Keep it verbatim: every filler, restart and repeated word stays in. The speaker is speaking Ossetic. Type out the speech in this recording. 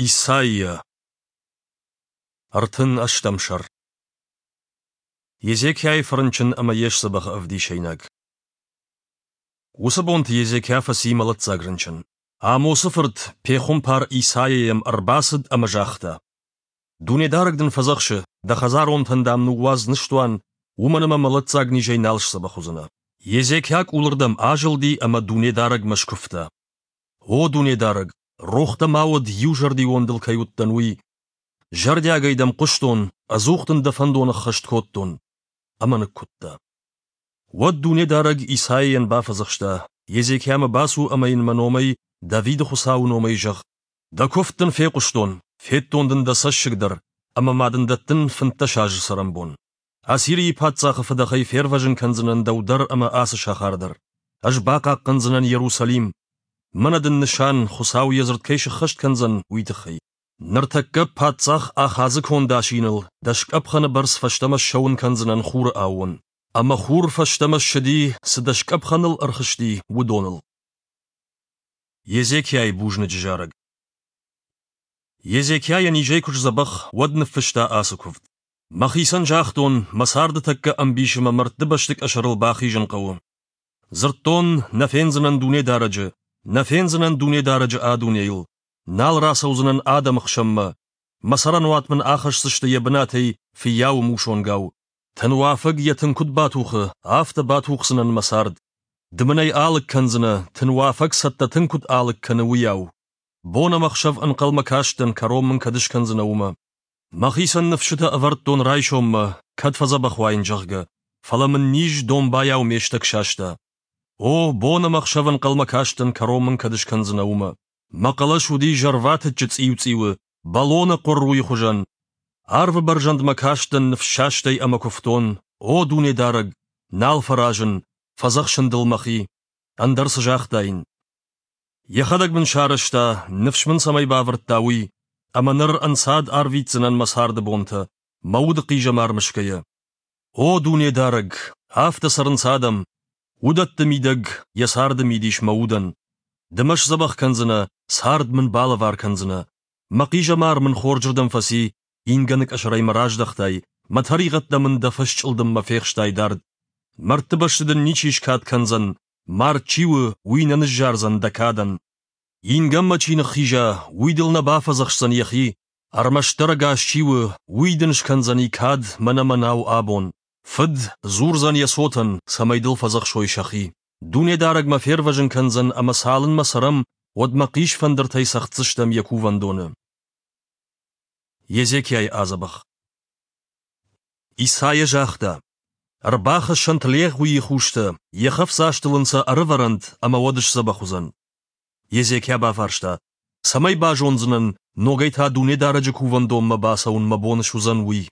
Исайя. Ӕртын ӕстӕм сӕр. Езекиайы фӕрынчын ӕмӕ йе сдзӕбӕхы ӕвдисӕйнаг. Уыцы бонты Езекиа фӕци мӕлӕтдзаг рынчын. Амосы фырт, пехуымпар Исайа йӕм ӕрбацыд ӕмӕ загъта: Дунедарӕг дын фӕдзӕхсы, дӕ хӕдзаронтӕн, дам, ныууадз ныстуан, уымӕн ӕмӕ мӕлӕтдзаг низӕй нал сдзӕбӕх уыдзынӕ. Езекиа къулырдӕм азылди ӕмӕ Дунедарӕгмӕ скуывта: О Дунедарӕг, рох дӕ ма уӕд, иузӕрдион дыл кӕй уыдтӕн, уый. Зӕрдиагӕй дӕм хъуыстон, ӕдзух дын дӕ фӕндон ӕххӕст кодтон. Ӕмӕ ныккуыдта. Уӕд Дунедарӕг Исайайӕн бафӕдзӕхста: Езекиамӕ бацу ӕмӕ йын мӕ номӕй, Давиды Хуыцауы номӕй зӕгъ: Дӕ куывд дын фехъуыстон, федтон дын дӕ цӕссыг дӕр, ӕмӕ ма дын дӕттын фынддӕс азы цӕрӕнбон. Ассирийы паддзахы фыдӕхӕй фервӕзын кӕндзынӕн дӕу дӕр ӕмӕ ацы сахар дӕр. Ӕз бахъахъхъӕндзынӕн Иерусалим. Мӕнӕ дын нысан, Хуыцау йӕ дзырд кӕй сӕххӕст кӕндзӕн, уый тыххӕй. Ныртӕккӕ паддзах Ахазы конд асиныл дӕс къӕпхӕны бӕрц фӕстӕмӕ ссӕуын кӕндзынӕн хуры аууон. Ӕмӕ хур фӕстӕмӕ ссыди, цы дӕс къӕпхӕныл ӕрхызти, уыдоныл. Езекиайы бузныджы зарӕг. Езекиа йӕ низӕй куы сдзӕбӕх, уӕд ныффыста ацы куывд: Мӕхицӕн загътон, мӕ царды тӕккӕ ӕмбисы мӕ мӕрдты бӕсты къӕсӕрыл бахизын хъӕуы. Дзырдтон, нӕ фендзынӕн Дунедарӕджы, нӕ фендзынӕн Дунедарӕджы а дунейыл, нал рацӕудзынӕн адӕмы хсӕнмӕ, мӕ цӕрӕнуат мын ахӕсдзысты йӕ бынатӕй фыййауы мусонгау. Тынуафӕг йӕ тын куыд батухы, афтӕ батухдзынӕн мӕ цард. Ды мын ӕй алыг кӕндзынӕ, тынуафӕг цӕттӕ тын куыд алыг кӕны, уыйау. Бон ӕмӕ хсӕв ӕнхъӕлмӕ кастӕн, кӕрон мын кӕд скӕндзынӕ, уымӕ. Мӕхицӕн ныфсытӕ ӕвӕрдтон райсоммӕ, кӕд фӕдзӕбӕх уаин, зӕгъгӕ, фӕлӕ мын низ домбайау ме стӕг саста. О, бон ӕмӕ хсӕв ӕнхъӕлмӕ кастӕн, кӕрон мын кӕд скӕндзынӕ, уымӕ. Мӕ хъӕлӕс уыди зӕрватыччы цъиу-цъиуы, бӕлоны хъуырруйы хуызӕн. Арвы бӕрзӕндмӕ кастӕн ныфссастӕй ӕмӕ куывтон: О, Дунедарӕг, нал фӕразын, фӕдзӕхсын дыл мӕхи. Ӕндӕр цы загътаин? Йӕхӕдӕг мын сарӕзта, ныфс мын цӕмӕй бавӕрдта, уый, ӕмӕ ныр ӕнцад арвитдзынӕн мӕ царды бонтӕ, мӕ уды хъизӕмар мысгӕйӕ. О, Дунедарӕг, афтӕ цӕрынц адӕм, уыдӕтты мидӕг йӕ царды мидис мӕ удӕн. Ды мӕ сдзӕбӕх кӕндзынӕ, цард мын балӕвар кӕндзынӕ. Мӕ хъизӕмар мын хорзырдӕм фӕци, ингӕны къӕсӕрӕй мӕ раздӕхтай, мӕ тӕригъӕдтӕ мын дӕ фӕсчъылдыммӕ фехстай дард. Мӕрдты бӕсты дын ничи скад кӕндзӕн, мард чи у, уый нӕ ныззардзӕн дӕ кадӕн. Ингӕнмӕ чи ныххиза, уый дыл нӕ бафӕдзӕхсдзӕн йӕхи, ӕрмӕстдӕр ӕгас чи у, уый дын скӕндзӕни кад мӕнӕ мӕнау абон. Фыд дзурдзӕн йӕ цотӕн, цӕмӕй дыл фӕдзӕхсой сӕхи. Дунедарӕг мӕ фервӕзын кӕндзӕн ӕмӕ цалынмӕ цӕрӕм, уӕдмӕ хъисфӕндыртӕй цӕгъддзыстӕм йӕ кувӕндоны. Езекиайы адзӕбӕх. Исайа загъта: Ӕрбахӕссӕнт легъуийы хустӕ, йӕ хӕфдзастыл ын сӕ ӕрӕвӕрӕнт, ӕмӕ уӕд сдзӕбӕх уыдзӕн. Езекиа бафарста: Цӕмӕй базондзынӕн, ногӕй та Дунедарӕджы кувӕндонмӕ бацӕуын мӕ бон суыдзӕн, уый?